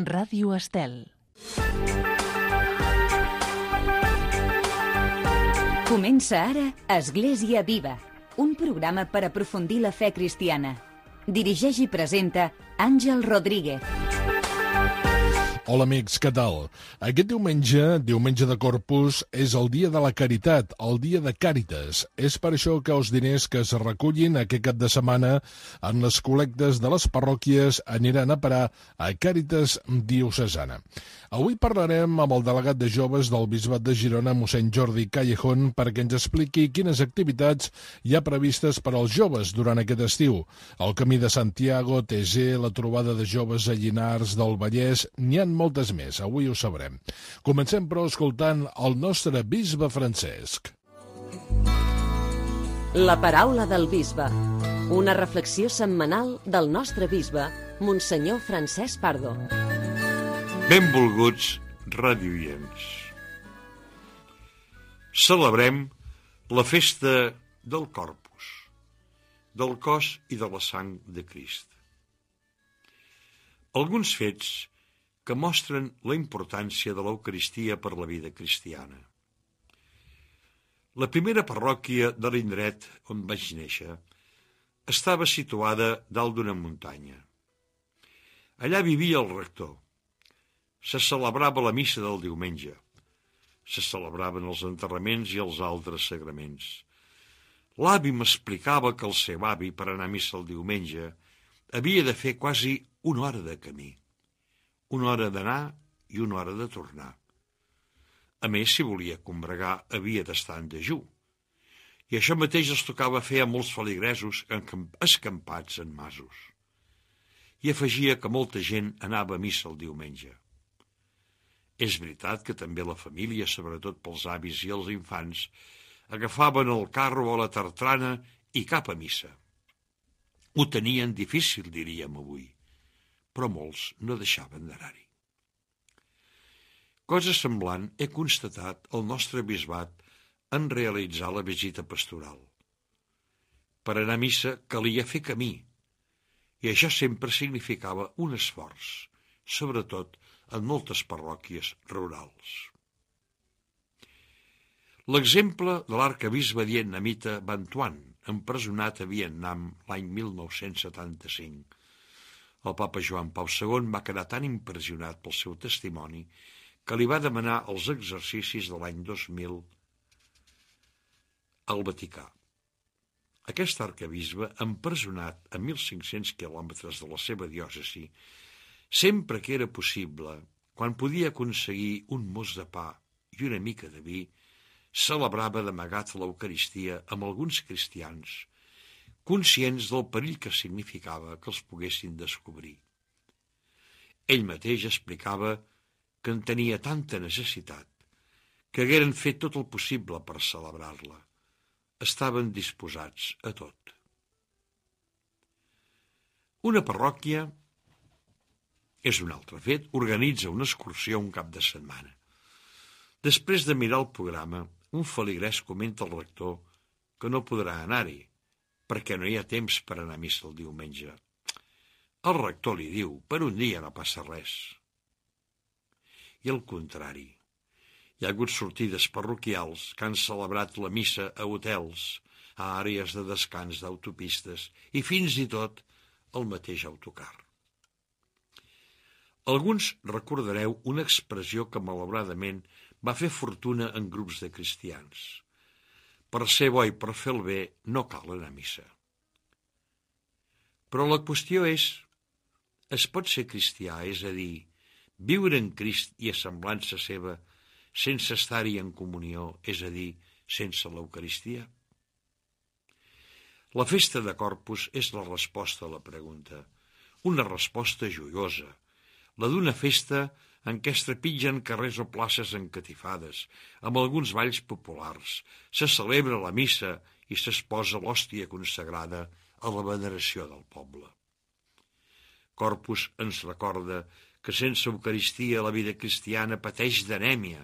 Ràdio Estel. Comença ara Església Viva, un programa per aprofundir la fe cristiana. Dirigeix i presenta Àngel Rodríguez. Hola amics, què tal? Aquest diumenge de Corpus, és el dia de la caritat, el dia de Càritas. És per això que els diners que es recullin aquest cap de setmana en les col·lectes de les parròquies aniran a parar a Càritas diocesana. Avui parlarem amb el delegat de joves del Bisbat de Girona, mossèn Jordi Callejón, perquè ens expliqui quines activitats hi ha previstes per als joves durant aquest estiu. El Camí de Santiago, TG, la trobada de joves a Llinars del Vallès, n'hi ha moltes més, avui ho sabrem. Comencem, però, escoltant el nostre bisbe Francesc. La paraula del bisbe. Una reflexió setmanal del nostre bisbe, Monsenyor Francesc Pardo. Benvolguts radioients. Celebrem la festa del Corpus, del cos i de la sang de Crist. Alguns fets que mostren la importància de l'Eucaristia per la vida cristiana. La primera parròquia de l'indret on vaig néixer estava situada dalt d'una muntanya. Allà vivia el rector. Se celebrava la missa del diumenge. Se celebraven els enterraments i els altres sagraments. L'avi m'explicava que el seu avi, per anar a missa el diumenge, havia de fer quasi una hora de camí. Una hora d'anar i una hora de tornar. A més, si volia combregar, havia d'estar en dejú. I això mateix els tocava fer a molts feligresos escampats en masos. I afegia que molta gent anava a missa el diumenge. És veritat que també la família, sobretot pels avis i els infants, agafaven el carro o la tartrana i cap a missa. Ho tenien difícil, diríem avui, però molts no deixaven d'anar-hi. Cosa semblant he constatat al nostre bisbat en realitzar la visita pastoral. Per anar a missa calia fer camí, i això sempre significava un esforç, sobretot en moltes parròquies rurals. L'exemple de l'arquebisbe vietnamita Van Tuan, empresonat a Vietnam l'any 1975. El papa Joan Pau II va quedar tan impressionat pel seu testimoni que li va demanar els exercicis de l'any 2000 al Vaticà. Aquest arquebisbe, empresonat a 1.500 quilòmetres de la seva diòcesi, sempre que era possible, quan podia aconseguir un mos de pa i una mica de vi, celebrava d'amagat l'Eucaristia amb alguns cristians, conscients del perill que significava que els poguessin descobrir. Ell mateix explicava que en tenia tanta necessitat que hagueren fet tot el possible per celebrar-la. Estaven disposats a tot. Una parròquia, és un altre fet, organitza una excursió un cap de setmana. Després de mirar el programa, un feligrès comenta al rector que no podrà anar-hi, perquè no hi ha temps per anar a missa el diumenge. El rector li diu, per un dia no passa res. I al contrari, hi ha hagut sortides parroquials que han celebrat la missa a hotels, a àrees de descans d'autopistes i fins i tot al mateix autocar. Alguns recordareu una expressió que malauradament va fer fortuna en grups de cristians. Per ser bo i per fer el bé no cal anar a missa. Però la qüestió és, es pot ser cristià, és a dir, viure en Crist i a semblança seva sense estar-hi en comunió, és a dir, sense l'Eucaristia? La festa de Corpus és la resposta a la pregunta, una resposta joiosa, la d'una festa en què es trepitgen carrers o places encatifades, amb alguns balls populars, se celebra la missa i s'exposa l'hòstia consagrada a la veneració del poble. Corpus ens recorda que sense Eucaristia la vida cristiana pateix d'anèmia,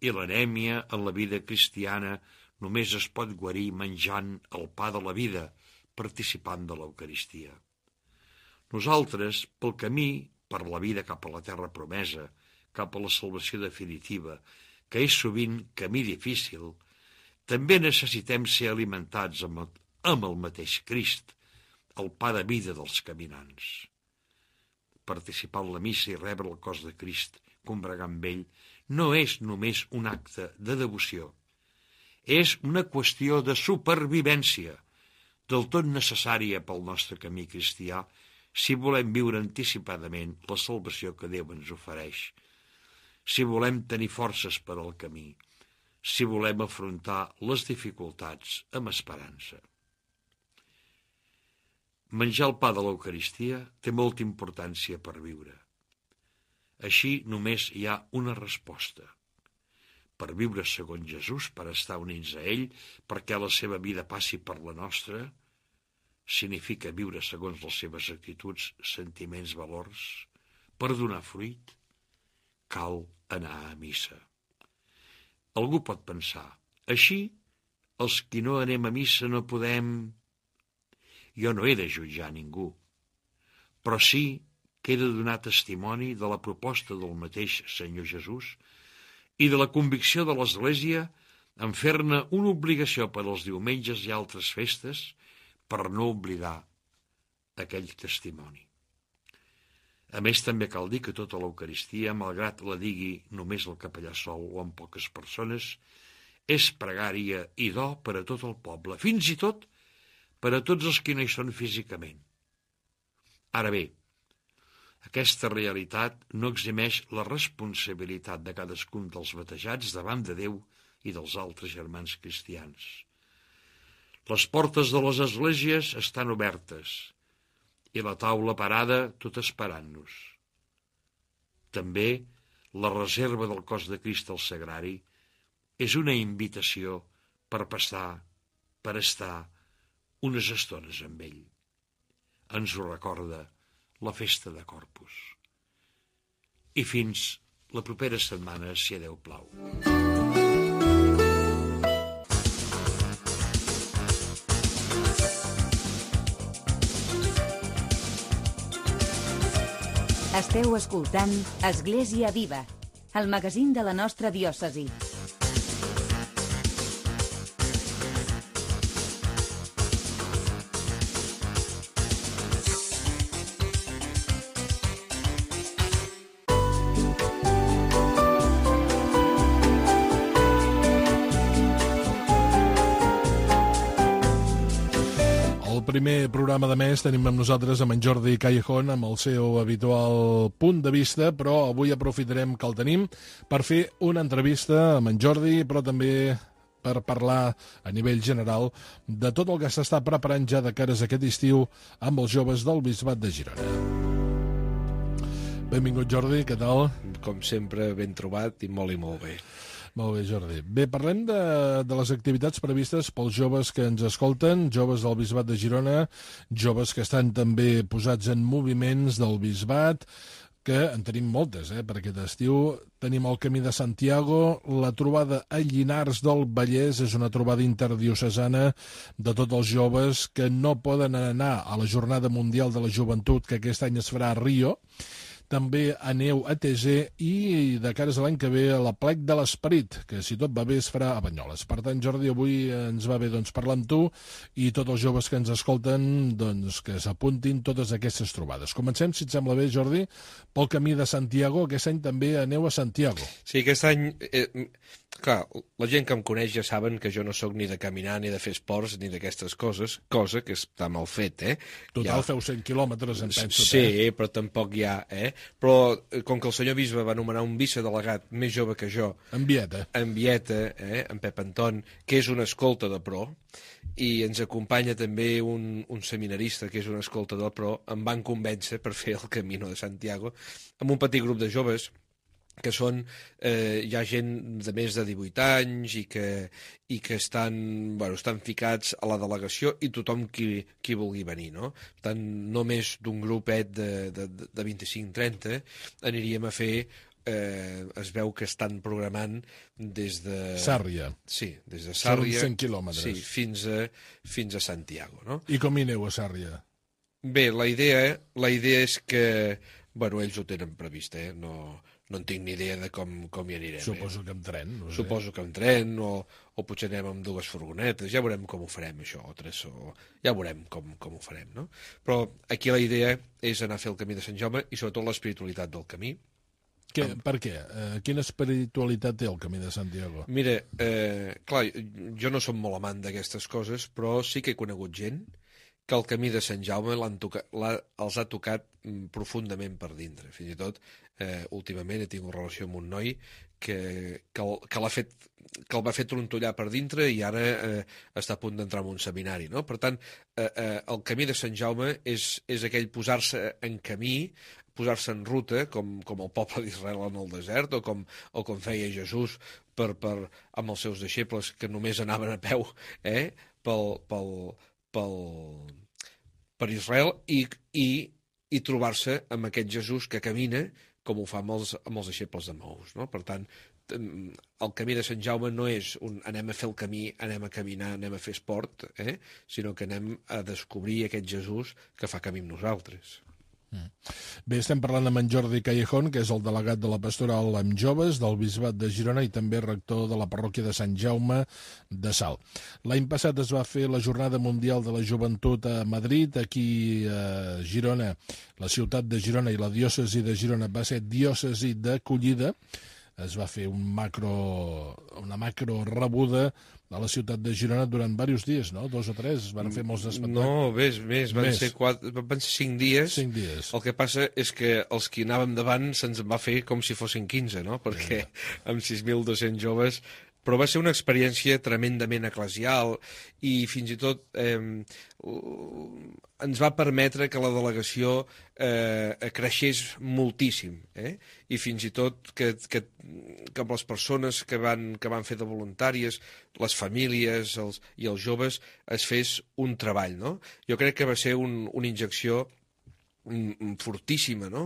i l'anèmia en la vida cristiana només es pot guarir menjant el pa de la vida, participant de l'Eucaristia. Nosaltres, pel camí, per la vida cap a la terra promesa, cap a la salvació definitiva, que és sovint camí difícil, també necessitem ser alimentats amb el mateix Crist, el pa de vida dels caminants. Participar en la missa i rebre el cos de Crist, combregar amb ell, no és només un acte de devoció. És una qüestió de supervivència, del tot necessària pel nostre camí cristià, si volem viure anticipadament la salvació que Déu ens ofereix, si volem tenir forces per al camí, si volem afrontar les dificultats amb esperança. Menjar el pa de l'Eucaristia té molta importància per viure. Així només hi ha una resposta. Per viure segons Jesús, per estar units a ell, perquè la seva vida passi per la nostra, significa viure segons les seves actituds, sentiments, valors. Per donar fruit, cal anar a missa. Algú pot pensar, així, els qui no anem a missa no podem... Jo no he de jutjar ningú, però sí que he de donar testimoni de la proposta del mateix Senyor Jesús i de la convicció de l'Església en fer-ne una obligació per als diumenges i altres festes per no oblidar aquell testimoni. A més, també cal dir que tota l'Eucaristia, malgrat la digui només el capellà sol o amb poques persones, és pregària i do per a tot el poble, fins i tot per a tots els que no hi són físicament. Ara bé, aquesta realitat no eximeix la responsabilitat de cadascun dels batejats davant de Déu i dels altres germans cristians. Les portes de les esglésies estan obertes i la taula parada tot esperant-nos. També la reserva del cos de Crist al sagrari és una invitació per estar unes estones amb ell. Ens ho recorda la festa de Corpus. I fins la propera setmana, si a Déu plau. Esteu escoltant Església Viva, el magazín de la nostra diòcesi. Primer programa de mes tenim amb nosaltres amb en Jordi Callejón amb el seu habitual punt de vista, però avui aprofitarem que el tenim per fer una entrevista amb en Jordi, però també per parlar a nivell general de tot el que s'està preparant ja de cares a aquest estiu amb els joves del Bisbat de Girona. Benvingut, Jordi, què tal? Com sempre, ben trobat i molt bé. Molt bé, Jordi. Bé, parlem de les activitats previstes pels joves que ens escolten, joves del Bisbat de Girona, joves que estan també posats en moviments del Bisbat, que en tenim moltes, per aquest estiu. Tenim el Camí de Santiago, la trobada a Llinars del Vallès, és una trobada interdiocesana de tots els joves que no poden anar a la Jornada Mundial de la Joventut, que aquest any es farà a Rio. També aneu a TG i de cares a l'any que ve a la Plec de l'Esperit, que si tot va bé es farà a Banyoles. Per tant, Jordi, avui ens va bé parlar amb tu i tots els joves que ens escolten que s'apuntin totes aquestes trobades. Comencem, si et sembla bé, Jordi, pel Camí de Santiago. Aquest any també aneu a Santiago. Sí, aquest any... Clar, la gent que em coneix ja saben que jo no sóc ni de caminar, ni de fer esports, ni d'aquestes coses, cosa que està mal fet, Total, feu 100 quilòmetres, em penso. Sí, però tampoc hi ha, Però com que el senyor bisbe va nomenar un vicedelegat més jove que jo... En Vieta, en Pep Anton, que és un escolta de pro, i ens acompanya també un seminarista que és un escolta del pro, em van convèncer per fer el Camino de Santiago amb un petit grup de joves que són, hi ha gent de més de 18 anys i que estan ficats a la delegació i tothom qui vulgui venir, no? Per tant, només d'un grupet de 25-30 aniríem a fer, es veu que estan programant des de... Sàrria. Sí, des de Sàrria. Són 100 quilòmetres. Sí, fins a Santiago, no? I com hi aneu a Sàrria? Bé, la idea és que Bueno, ells ho tenen previst, no en tinc ni idea de com hi anirem. Suposo que amb tren. No sé. Suposo que amb tren, o potser anem amb 2 furgonetes, ja veurem com ho farem, això, o 3, ja veurem com ho farem, no? Però aquí la idea és anar a fer el camí de Sant Jaume i sobretot l'espiritualitat del camí. Per què? Quina espiritualitat té el camí de Santiago? Mira, clar, jo no som molt amant d'aquestes coses, però sí que he conegut gent que el camí de Sant Jaume els ha tocat profundament per dintre. Fins i tot, últimament he tingut relació amb un noi que el va fer trontollar per dintre i ara està a punt d'entrar en un seminari, no? Per tant, el camí de Sant Jaume és aquell posar-se en camí, posar-se en ruta, com el poble d'Israel en el desert, o com feia Jesús amb els seus deixebles que només anaven a peu per Israel i trobar-se amb aquest Jesús que camina com ho fa amb els deixebles de Maús, no? Per tant, el camí de Sant Jaume no és anem a fer el camí, anem a caminar, anem a fer esport, sinó que anem a descobrir aquest Jesús que fa camí amb nosaltres. Bé, estem parlant amb en Jordi Callejón, que és el delegat de la Pastoral amb Joves del Bisbat de Girona i també rector de la parròquia de Sant Jaume de Salt. L'any passat es va fer la Jornada Mundial de la Joventut a Madrid. Aquí a Girona, la ciutat de Girona i la diòcesi de Girona va ser diòcesi d'acollida. Es va fer una macro rebuda a la ciutat de Girona durant diversos dies, no? 2 o 3, es van fer molts espectacles. No, més, van ser 5 dies. 5 dies. El que passa és que els que anàvem davant se'ns va fer com si fossin 15, no? Perquè amb 6.200 joves... Però va ser una experiència tremendament eclesial i fins i tot ens va permetre que la delegació creixés moltíssim, i fins i tot que amb les persones que van fer de voluntàries, les famílies i els joves, es fes un treball, no? Jo crec que va ser una injecció fortíssima, no?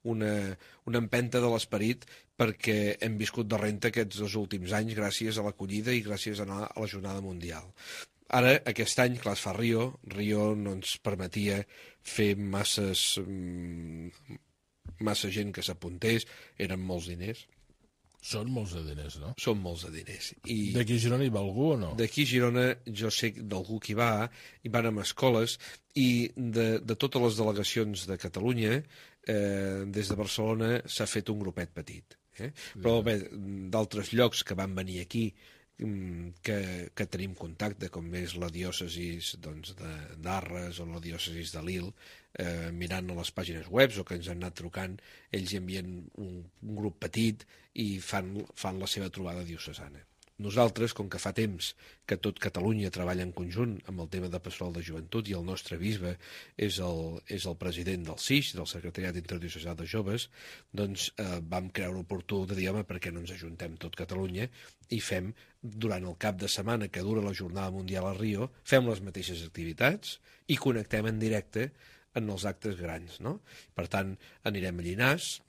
Una empenta de l'esperit, perquè hem viscut de renta aquests 2 últims anys gràcies a l'acollida i gràcies a anar a la Jornada Mundial. Ara, aquest any, clar, es fa Rio no ens permetia fer massa gent que s'apuntés, eren molts diners. Són molts de diners, no? Són molts de diners. D'aquí a Girona hi va algú o no? D'aquí a Girona jo sé d'algú que hi van amb escoles, i de totes les delegacions de Catalunya, des de Barcelona s'ha fet un grupet petit. Però bé, d'altres llocs que van venir aquí, que tenim contacte, com és la diòcesi d'Arres o la diòcesi de Lille, mirant a les pàgines web o que ens han anat trucant, ells hi envien un grup petit i fan la seva trobada diocesana. Nosaltres, com que fa temps que tot Catalunya treballa en conjunt amb el tema de pastoral de joventut i el nostre bisbe és el president del SIJ, del Secretariat Interdiocesà de Joves, doncs vam creure oportú de dir, home, per què no ens ajuntem tot Catalunya i fem, durant el cap de setmana que dura la Jornada Mundial a Rio, fem les mateixes activitats i connectem en directe en els actes grans, no? Per tant, anirem a Llinars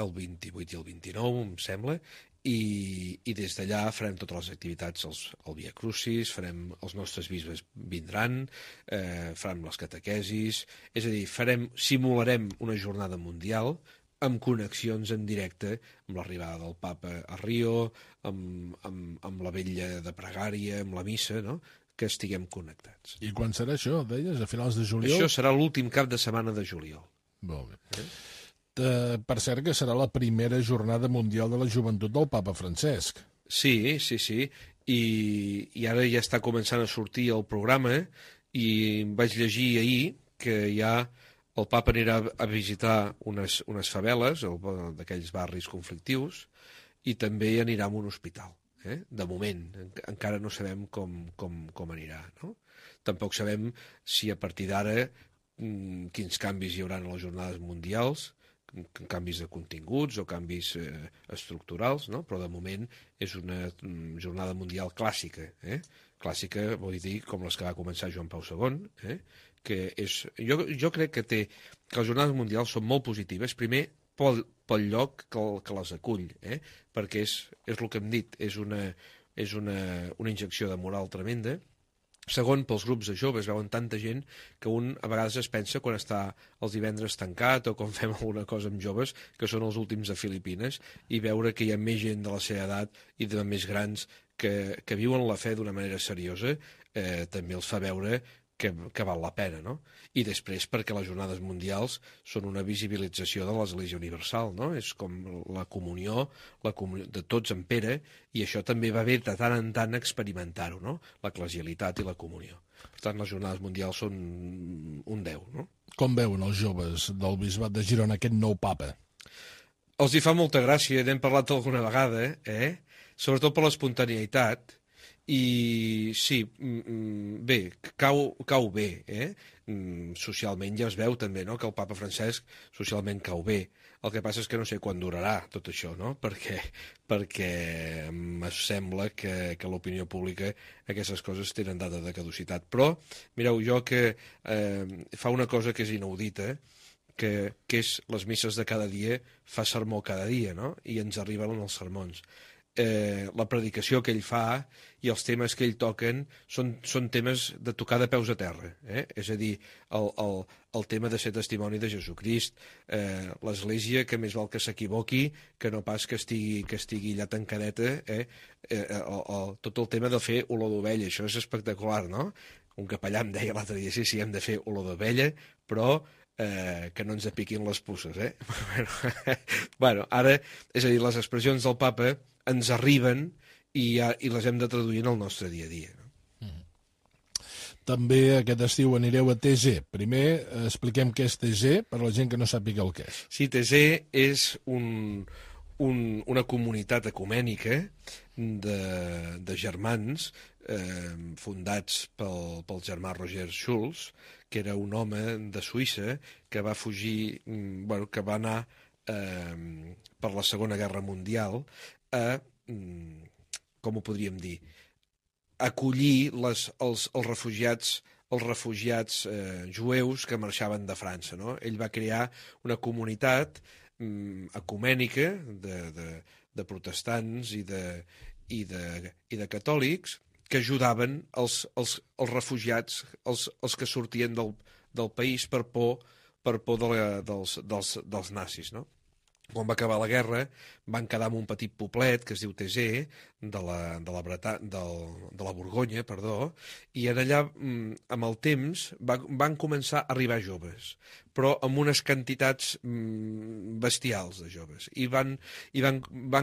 el 28 i el 29, em sembla, i des d'allà farem totes les activitats, el Via Crucis, els nostres bisbes vindran, farem les catequesis, és a dir, simularem una jornada mundial amb connexions en directe amb l'arribada del papa a Rio, amb la vetlla de pregària, amb la missa, no?, que estiguem connectats. I quan serà això, deies, a finals de juliol? Això serà l'últim cap de setmana de juliol. Molt bé. Per cert, que serà la primera jornada mundial de la joventut del papa Francesc. Sí. I ara ja està començant a sortir el programa i vaig llegir ahir que ja el papa anirà a visitar unes faveles, d'aquells barris conflictius, i també anirà a un hospital. De moment, encara no sabem com anirà, no? Tampoc sabem si a partir d'ara quins canvis hi haurà a les jornades mundials, canvis de continguts o canvis estructurals, no? Però de moment és una jornada mundial clàssica. Clàssica vol dir com les que va començar Joan Pau II, que és... Jo crec que les jornades mundials són molt positives, primer pel lloc que les acull, perquè és el que hem dit, és una injecció de moral tremenda, Segon, pels grups de joves, veuen tanta gent que un a vegades es pensa quan està els divendres tancat o quan fem alguna cosa amb joves, que són els últims de Filipines, i veure que hi ha més gent de la seva edat i de més grans que viuen la fe d'una manera seriosa, també els fa veure que val la pena, no? I després perquè les jornades mundials són una visibilització de l'Església Universal, no? És com la comunió de tots en Pere, i això també va bé de tant en tant experimentar-ho, no? L'eclesialitat i la comunió. Per tant, les jornades mundials són un 10, no? Com veuen els joves del Bisbat de Girona aquest nou papa? Els hi fa molta gràcia, n'hem parlat alguna vegada, sobretot per l'espontaneïtat, i sí, bé, cau bé, socialment ja es veu també, no?, que el papa Francesc socialment cau bé. El que passa és que no sé quan durarà tot això, no?, perquè em sembla que l'opinió pública aquestes coses tenen data de caducitat. Però, mireu, jo que fa una cosa que és inaudita, que és les misses de cada dia, fa sermó cada dia, no?, i ens arriben els sermons. La predicació que ell fa i els temes que ell toquen són temes de tocar de peus a terra, és a dir, el tema de ser testimoni de Jesucrist, l'Església que més val que s'equivoqui que no pas que estigui allà tancadeta, tot el tema de fer olor d'ovella, això és espectacular, no? Un capellà em deia l'altre dia, sí, hem de fer olor d'ovella, però que no ens apiquin les puces, Bueno, ara, és a dir, les expressions del papa ens arriben i les hem de traduir en el nostre dia a dia. També aquest estiu anireu a TG. Primer expliquem què és TG per a la gent que no sàpiga el que és. Sí, TG és una comunitat ecumènica de germans fundats pel germà Roger Schulz, que era un home de Suïssa que va fugir, que va anar per la Segona Guerra Mundial a, com ho podríem dir, acollir els refugiats jueus que marxaven de França, no? Ell va crear una comunitat ecumènica de protestants i de catòlics que ajudaven els refugiats, els que sortien del país per por dels nazis, no? Quan va acabar la guerra van quedar en un petit poblet que es diu Tesé, de la Borgonya, i en allà, amb el temps, van començar a arribar joves, però amb unes quantitats bestials de joves, i van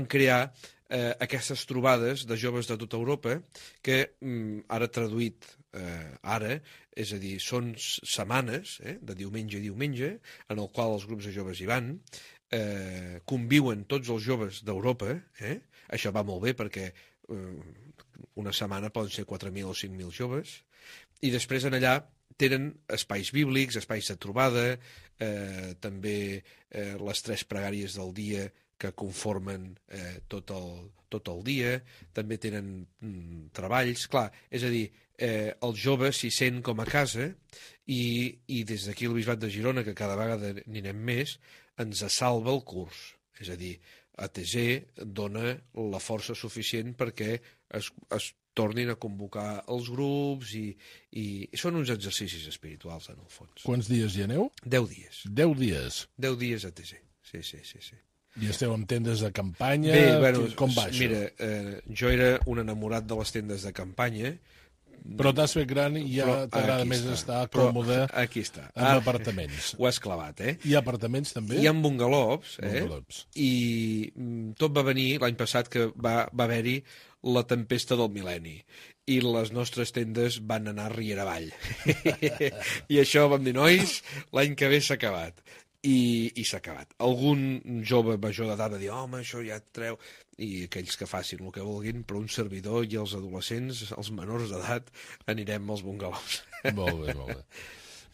crear aquestes trobades de joves de tota Europa que, ara traduït, és a dir, són setmanes, de diumenge a diumenge, en el qual els grups de joves hi van, conviuen tots els joves d'Europa, això va molt bé perquè una setmana poden ser 4.000 o 5.000 joves, i després en allà tenen espais bíblics, espais de trobada, també les 3 pregàries del dia que conformen tot el dia, també tenen treballs, clar, és a dir, els joves s'hi sent com a casa i des d'aquí el Bisbat de Girona, que cada vegada n'hi anem més, ens salva el curs, és a dir, ATG dona la força suficient perquè es tornin a convocar els grups i són uns exercicis espirituals, en el fons. Quants dies hi aneu? 10 dies. 10 dies? 10 dies ATG, sí. I esteu amb tendes de campanya? Bé, bueno, com va això? Mira, jo era un enamorat de les tendes de campanya. Però t'has fet gran i ja t'agrada més estar còmode en apartaments. Ho has clavat, Hi ha apartaments també? Hi ha bungalows, i tot va venir l'any passat que va haver-hi la tempesta del mil·lenni i les nostres tendes van anar riera avall. I això vam dir, nois, l'any que ve s'ha acabat. I s'ha acabat. Algun jove major d'edat va dir, home, això ja et treu, i aquells que facin el que vulguin, però un servidor i els adolescents, els menors d'edat, anirem als bungalows. Molt bé.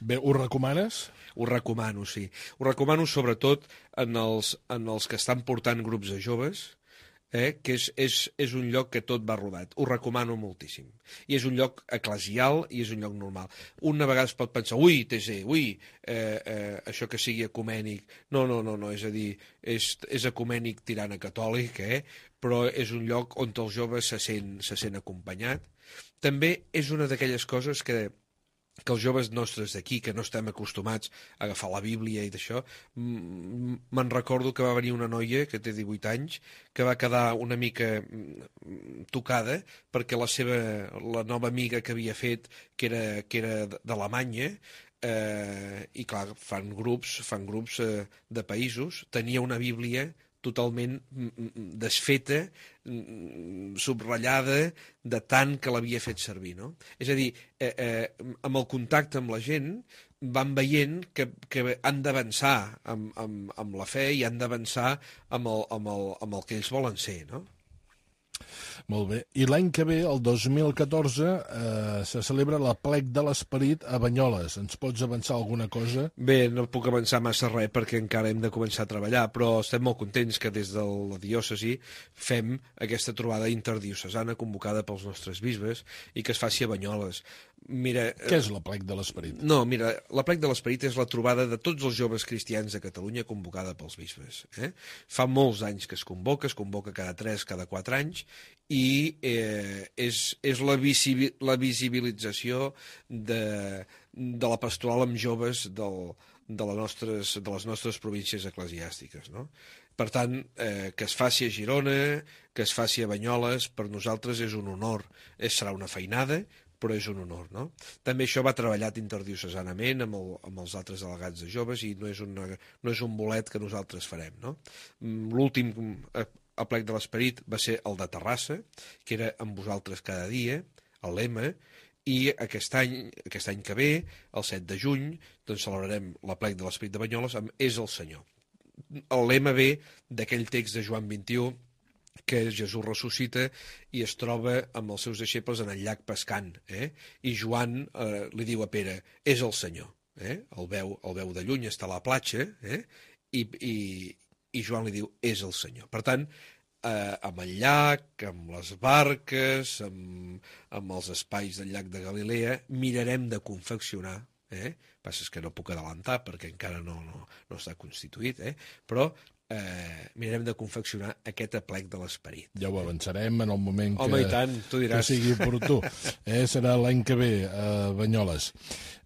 Bé, ho recomanes? Ho recomano, sí. Ho recomano sobretot en els que estan portant grups de joves, que és un lloc que tot va rodat. Ho recomano moltíssim. I és un lloc eclesial i és un lloc normal. Un a vegades pot pensar, això que sigui ecumènic. No, és a dir, és ecumènic tirant a catòlic, però és un lloc on el jove se sent acompanyat També és una d'aquelles coses que els joves nostres d'aquí, que no estem acostumats a agafar la Bíblia i d'això, me'n recordo que va venir una noia que té 18 anys, que va quedar una mica tocada perquè la nova amiga que havia fet, que era d'Alemanya, i clar, fan grups de països, tenia una Bíblia totalment desfeta, subratllada, de tant que l'havia fet servir, no? És a dir, amb el contacte amb la gent van veient que han d'avançar amb la fe i han d'avançar amb el que ells volen ser, no? Molt bé. I l'any que ve, el 2014, se celebra l'Aplec de l'Esperit a Banyoles. Ens pots avançar alguna cosa? Bé, no puc avançar massa res perquè encara hem de començar a treballar, però estem molt contents que des de la diòcesi fem aquesta trobada interdiocesana convocada pels nostres bisbes i que es faci a Banyoles. Mira, què és l'Aplec de l'Esperit? No, mira, l'Aplec de l'Esperit és la trobada de tots els joves cristians de Catalunya convocada pels bisbes. Fa molts anys que es convoca cada 3, cada 4 anys, i és la visibilització de la pastoral amb joves de les nostres províncies eclesiàstiques, no? Per tant, que es faci a Girona, que es faci a Banyoles, per nosaltres és un honor. Serà una feinada, però és un honor, no? També això va treballat interdiocesanament amb els altres delegats de joves i no és un bolet que nosaltres farem, no? L'últim Aplec de l'Esperit va ser el de Terrassa, que era amb vosaltres cada dia, el lema, i aquest any que ve, el 7 de juny, doncs celebrarem l'Aplec de l'Esperit de Banyoles amb És el Senyor. El lema ve d'aquell text de Joan 21, que Jesús ressuscita i es troba amb els seus deixebles en el llac pescant, i Joan li diu a Pere, és el Senyor, el veu de lluny, està a la platja, i Joan li diu, és el Senyor. Per tant, amb el llac, amb les barques, amb els espais del llac de Galilea, mirarem de confeccionar, passa és que no puc adelantar perquè encara no està constituït, però mirarem de confeccionar aquest Aplec de l'Esperit. Ja ho avançarem en el moment i tant, tu diràs. Que sigui oportú. Serà l'any que ve a Banyoles.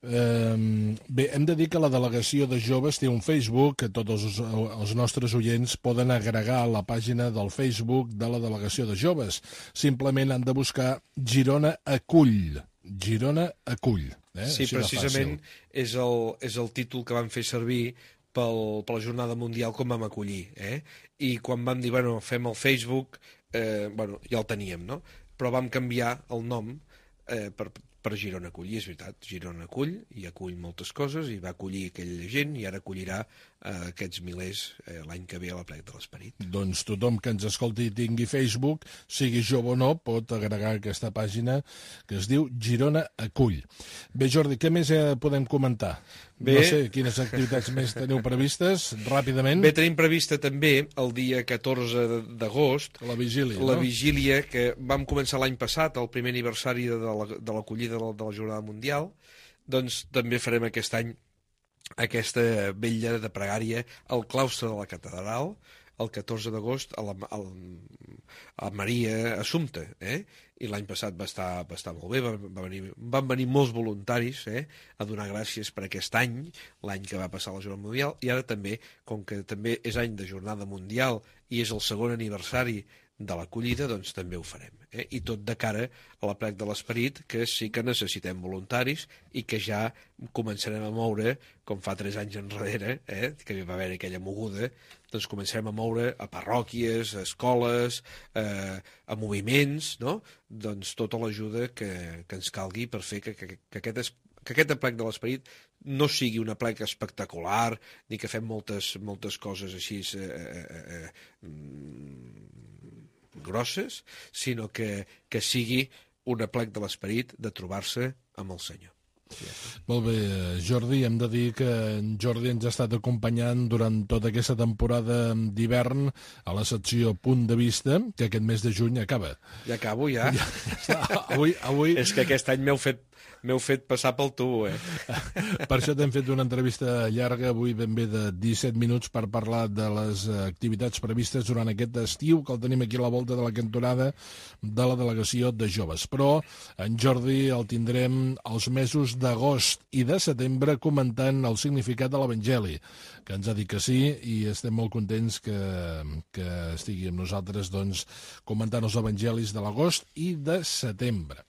Bé, hem de dir que la delegació de joves té un Facebook, que tots els nostres oients poden agregar a la pàgina del Facebook de la delegació de joves. Simplement han de buscar Girona Acull. Girona Acull. Sí, precisament és el títol que van fer servir per la Jornada Mundial com vam acollir. I quan vam dir, fem el Facebook, ja el teníem, no? Però vam canviar el nom per Girona Acull, i és veritat, Girona Acull, i acull moltes coses, i va acollir aquella gent, i ara acollirà aquests milers l'any que ve a l'Aplec de l'Esperit. Doncs tothom que ens escolti i tingui Facebook, sigui jove o no, pot agregar aquesta pàgina que es diu Girona Acull. Bé, Jordi, què més podem comentar? No sé quines activitats més teniu previstes, ràpidament. Bé, tenim prevista també el dia 14 d'agost la vigília, la vigília que vam començar l'any passat, el primer aniversari de l'acollida de la Jornada Mundial. Doncs també farem aquest any aquesta vetlla de pregària al claustre de la catedral, el 14 d'agost a Maria Assumpta, i l'any passat va estar molt bé, van venir molts voluntaris a donar gràcies per aquest any, l'any que va passar la Jornada Mundial, i ara també, com que també és any de Jornada Mundial i és el segon aniversari de l'acollida, doncs també ho farem. I tot de cara a l'Aplec de l'Esperit, que sí que necessitem voluntaris i que ja començarem a moure, com fa 3 anys enrere, que va haver aquella moguda, doncs començarem a moure a parròquies, a escoles, a moviments, no? Doncs tota l'ajuda que ens calgui per fer que aquest Aplec de l'Esperit no sigui un aplec espectacular, ni que fem moltes coses així grosses, sinó que sigui un aplec de l'Esperit de trobar-se amb el Senyor. Molt bé, Jordi, hem de dir que en Jordi ens ha estat acompanyant durant tota aquesta temporada d'hivern a la secció Punt de Vista, que aquest mes de juny acaba. Ja acabo, ja. Avui... És que aquest any m'heu fet M'heu fet passar pel tubo, Per això t'hem fet una entrevista llarga, avui ben bé de 17 minuts, per parlar de les activitats previstes durant aquest estiu, que el tenim aquí a la volta de la cantonada de la delegació de joves. Però en Jordi el tindrem els mesos d'agost i de setembre comentant el significat de l'Evangeli, que ens ha dit que sí, i estem molt contents que estigui amb nosaltres doncs, comentant els evangelis de l'agost i de setembre.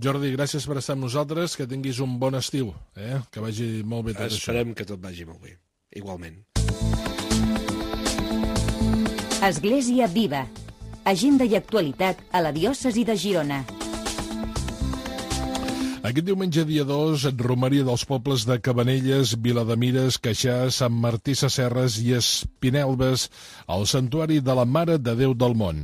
Jordi, gràcies per estar amb nosaltres, que tinguis un bon estiu, que vagi molt bé tot això. Esperem que tot vagi molt bé, igualment. Església Viva. Agenda i actualitat a la diòcesi de Girona. Aquest diumenge, dia 2, romeria dels pobles de Cabanelles, Vilademires, Queixà, Sant Martí Sesserres i Espinelves, al Santuari de la Mare de Déu del Mont.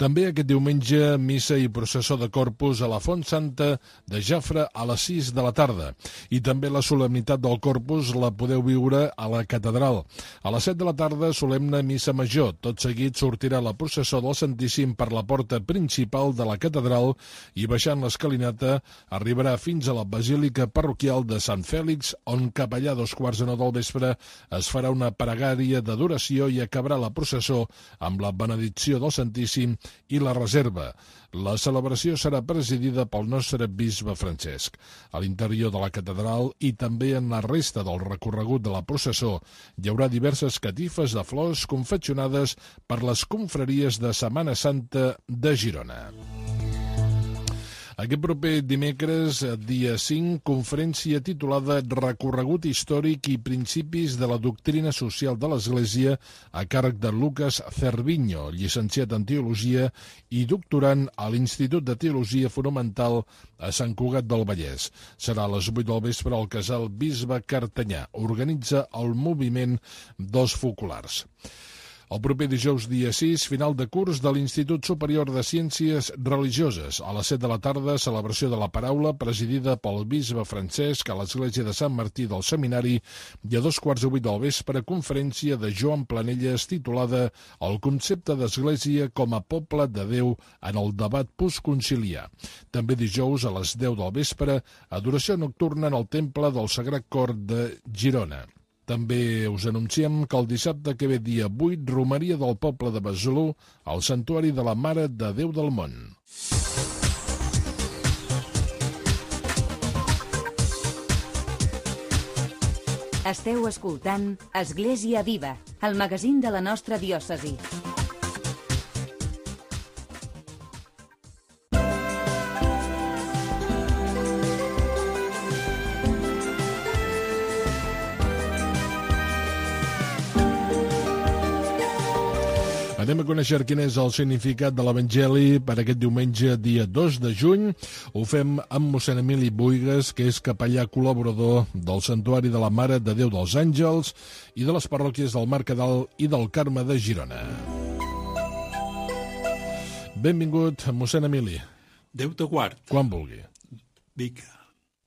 També aquest diumenge, missa i processó de Corpus a la Font Santa de Jafre a les 6 de la tarda. I també la solemnitat del Corpus la podeu viure a la catedral. A les 7 de la tarda, solemne missa major. Tot seguit sortirà la processó del Santíssim per la porta principal de la catedral i baixant l'escalinata arribarà fins a la Basílica Parroquial de Sant Fèlix, on cap allà a 8:45 del vespre es farà una pregària d'adoració i acabarà la processó amb la benedicció del Santíssim i la reserva. La celebració serà presidida pel nostre bisbe Francesc. A l'interior de la catedral i també en la resta del recorregut de la processó hi haurà diverses catifes de flors confeccionades per les confraries de Setmana Santa de Girona. Aquest proper dimecres, dia 5, conferència titulada Recorregut històric i principis de la doctrina social de l'Església a càrrec de Lucas Cerviño, llicenciat en Teologia i doctorant a l'Institut de Teologia Fonamental a Sant Cugat del Vallès. Serà a les 8 del vespre al Casal Bisbe Cartanyà. Organitza el moviment dels focolars. El proper dijous, dia 6, final de curs de l'Institut Superior de Ciències Religioses. A les 7 de la tarda, celebració de la paraula presidida pel bisbe Francesc a l'Església de Sant Martí del Seminari i a 7:15 del vespre, conferència de Joan Planelles titulada El concepte d'Església com a poble de Déu en el debat postconciliar. També dijous, a les 10 del vespre, adoració nocturna en el Temple del Sagrat Cor de Girona. També us anunciem que el dissabte que ve, dia 8, romeria del poble de Besalú al Santuari de la Mare de Déu del Mont. Esteu escoltant Església Viva, el magazín de la nostra diòcesi. Anem a conèixer quin és el significat de l'Evangeli per aquest diumenge, dia 2 de juny. Ho fem amb mossèn Emili Buigas, que és capellà col·laborador del Santuari de la Mare de Déu dels Àngels i de les parròquies del Mercadal i del Carme de Girona. Benvingut, mossèn Emili. Déu te guard. Quan vulgui. Vinga.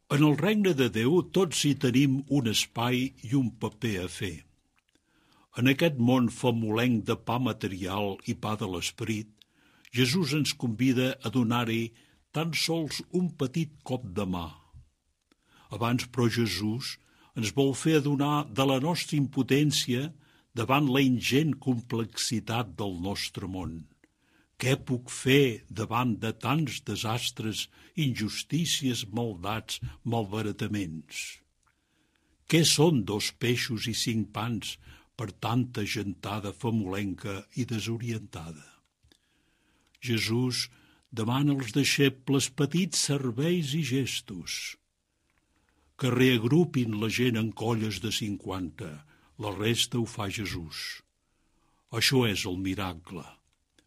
En el regne de Déu tots hi tenim un espai i un paper a fer. En aquest món famolenc de pa material i pa de l'esperit, Jesús ens convida a donar-hi tan sols un petit cop de mà. Abans, però, Jesús ens vol fer adonar de la nostra impotència davant la ingent complexitat del nostre món. Què puc fer davant de tants desastres, injustícies, maldats, malbarataments? Què són 2 peixos i 5 pans per tanta gentada famolenca i desorientada? Jesús demana als deixebles petits serveis i gestos, que reagrupin la gent en colles de 50, la resta ho fa Jesús. Això és el miracle.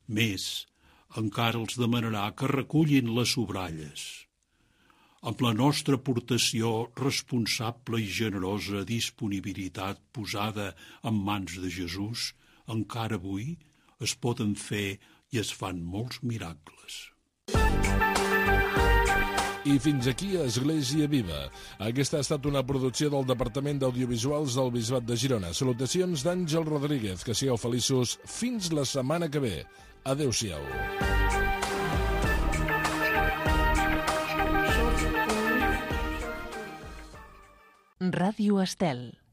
Més, encara els demanarà que recullin les sobralles. Amb la nostra aportació responsable i generosa disponibilitat posada en mans de Jesús, encara avui es poden fer i es fan molts miracles. I fins aquí Església Viva. Aquesta ha estat una producció del Departament d'Audiovisuals del Bisbat de Girona. Salutacions d'Àngel Rodríguez. Que sigueu feliços fins la setmana que ve. Adéu-siau. Ràdio Estel.